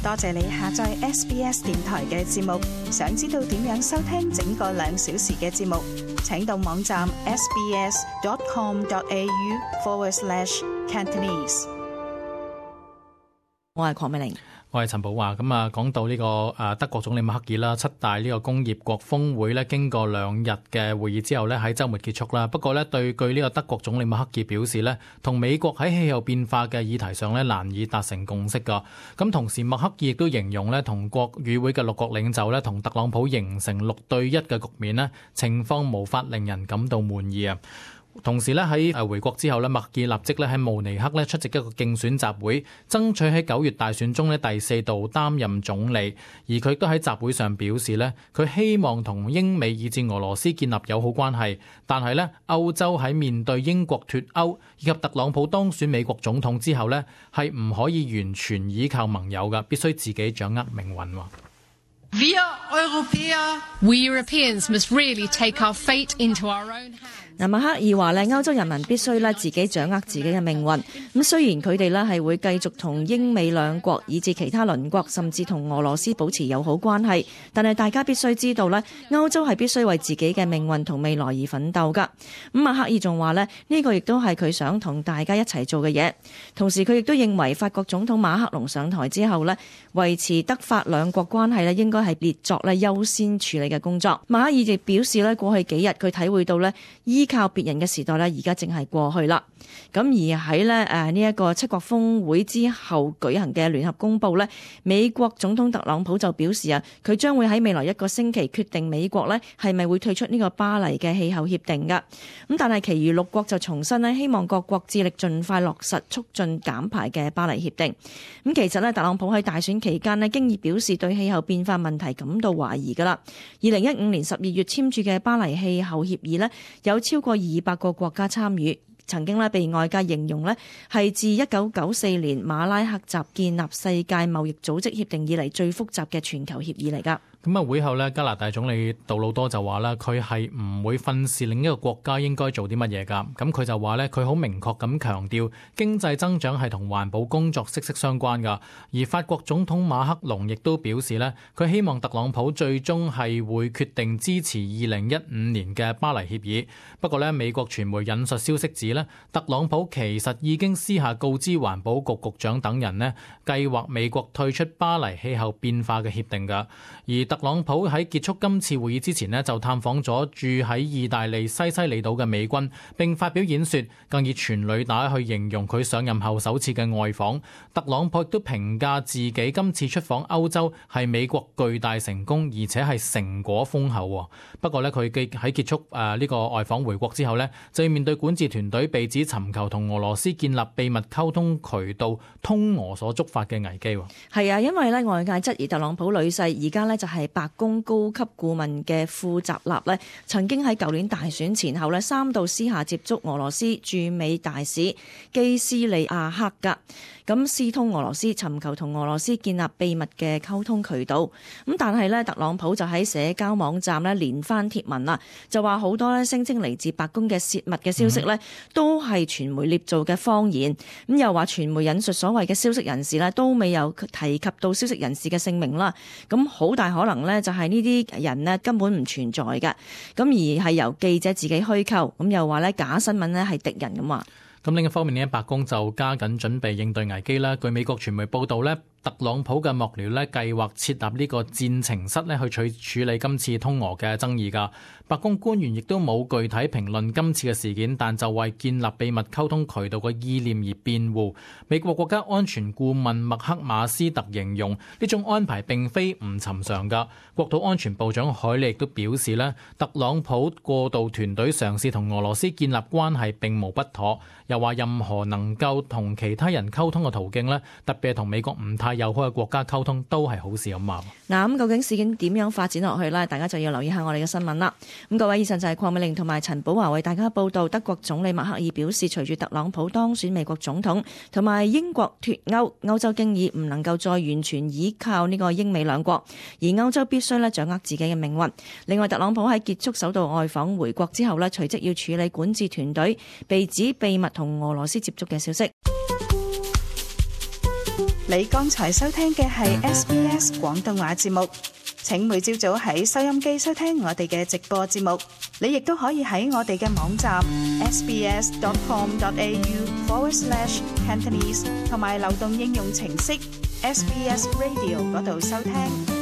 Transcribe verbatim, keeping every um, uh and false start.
多謝你下載 S B S 電台嘅節目。想知道點樣收聽整個兩小時嘅節目，請到網站 sbs.com.au forward slash Cantonese。我係鄺美玲。我係陳寶華。咁啊，講到呢個誒德國總理默克爾啦，七大呢個工業國峰會咧，經過兩日嘅會議之後咧，喺週末結束啦。不過咧，對據呢個德國總理默克爾表示咧，同美國喺氣候變化嘅議題上咧，難以達成共識㗎。咁同時，默克爾亦都形容咧，同國與會嘅六國領袖咧，同特朗普形成六對一嘅局面咧，情況無法令人感到滿意啊。同時咧，喺誒回國之後咧，默克爾立即咧喺慕尼黑咧出席一個競選集會，爭取喺九月大選中咧第四度擔任總理。而佢亦都喺集會上表示咧，佢希望同英美以至俄羅斯建立友好關係，但係咧歐洲喺面對英國脫歐以及特朗普當選美國總統之後咧，係唔可以完全依靠盟友嘅，必須自己掌握命運。We Europeans must really take our fate into our own hands. 嗱，默克爾話咧，歐洲人民必須咧自己掌握自己嘅命運。咁雖然佢哋咧係會繼續同英美兩國以至其他鄰國，甚至同俄羅斯保持友好關係，但係大家必須知道咧，歐洲係必須為自己嘅命運同未來而奮鬥噶。咁默克爾仲話咧，呢個亦都係佢想同大家一齊做嘅嘢。同時佢亦都認為法國總統馬克龍上台之後咧，維持德法兩國關係咧，應該係列作咧優先處理嘅工作。默克爾亦表示咧，過去幾日佢體會到咧，依靠別人嘅時代咧，而家淨係過去啦。咁而喺咧誒呢一個七國峰會之後舉行嘅聯合公佈咧，美國總統特朗普就表示啊，佢將會喺未來一個星期決定美國咧係咪會退出呢個巴黎嘅氣候協定噶。咁但係其餘六國就重申咧，希望各國致力盡快落實促進減排嘅巴黎協定。咁其實咧，特朗普喺大選期間咧，經已表示對氣候變化問題感到懷疑噶啦。二零一五年十二月簽署嘅巴黎氣候協議咧，有超過二百個國家參與，曾經咧被外界形容咧係自一九九四年馬拉克集建立世界貿易組織協定以嚟最複雜嘅全球協議嚟㗎。咁啊，會後咧，加拿大總理杜魯多就話啦，佢係唔會訓示另一個國家應該做啲乜嘢㗎。咁佢就話咧，佢好明確咁強調經濟增長係同環保工作息息相關㗎。而法國總統馬克龍亦都表示咧，佢希望特朗普最終係會決定支持二零一五年嘅巴黎協議。不過咧，美國傳媒引述消息指咧，特朗普其實已經私下告知環保局局長等人咧，計劃美國退出巴黎氣候變化嘅協定㗎。而特朗普喺結束今次會議之前呢，就探訪咗住喺意大利西西里島嘅美軍，並發表演說，更以全履帶去形容佢上任後首次嘅外訪。特朗普亦都評價自己今次出訪歐洲係美國巨大成功，而且係成果豐厚。不過呢，佢喺結束誒呢個外訪回國之後呢，就要面對管治團隊被指尋求同俄羅斯建立秘密溝通渠道通俄所觸發嘅危機。係啊，因為咧外界質疑特朗普女婿而家咧就係白宮高級顧問嘅庫扎納咧，曾經喺舊年大選前後咧三度私下接觸俄羅斯駐美大使基斯利亞克格，咁私通俄羅斯，尋求同俄羅斯建立秘密嘅溝通渠道。咁但係咧，特朗普就喺社交網站咧連番貼文啦，就話好多咧聲稱嚟自白宮嘅洩密嘅消息咧，都係傳媒捏造嘅謊言。咁又話傳媒引述所謂嘅消息人士咧，都未有提及到消息人士嘅姓名啦。咁好大可能咧，就係呢啲人咧根本唔存在嘅。咁而係由記者自己虛構。咁又話咧假新聞咧係敵人咁話。咁另一方面呢，白宮就加緊準備應對危機啦。據美國傳媒報道呢，特朗普嘅幕僚呢計劃設立呢個戰情室呢去處處理今次通俄嘅爭議㗎。白宮官員亦都冇具體評論今次嘅事件，但就為建立秘密溝通渠道嘅意念而辯護。美國國家安全顧問麥克馬斯特形容呢種安排並非唔尋常㗎。國土安全部長海利亦都表示呢，特朗普過渡團隊嘗試同俄羅斯建立關係並無不妥，又話任何能夠同其他人溝通嘅途徑呢，特別係同美國唔太友好嘅國家溝通都係好事咁話。嗱，咁究竟事件點樣發展落去呢？大家就要留意下我哋嘅新聞啦。咁各位，以上就係鄺美玲同埋陳寶華為大家報道。德國總理默克爾表示，隨住特朗普當選美國總統同埋英國脫歐，歐洲經已唔能夠再完全依靠呢個英美兩國，而歐洲必須咧掌握自己嘅命運。另外，特朗普喺結束首度外訪回國之後咧，隨即要處理管治團隊被指秘密同俄羅斯接觸嘅消息。你你剛才收聽嘅係 S B S 廣東話節目。請每朝早喺收音機收聽我哋嘅直播節目。你亦都可以喺我哋嘅網站 sbs.com.au forward slash Cantonese 同埋流動應用程式 S B S Radio 嗰度收聽。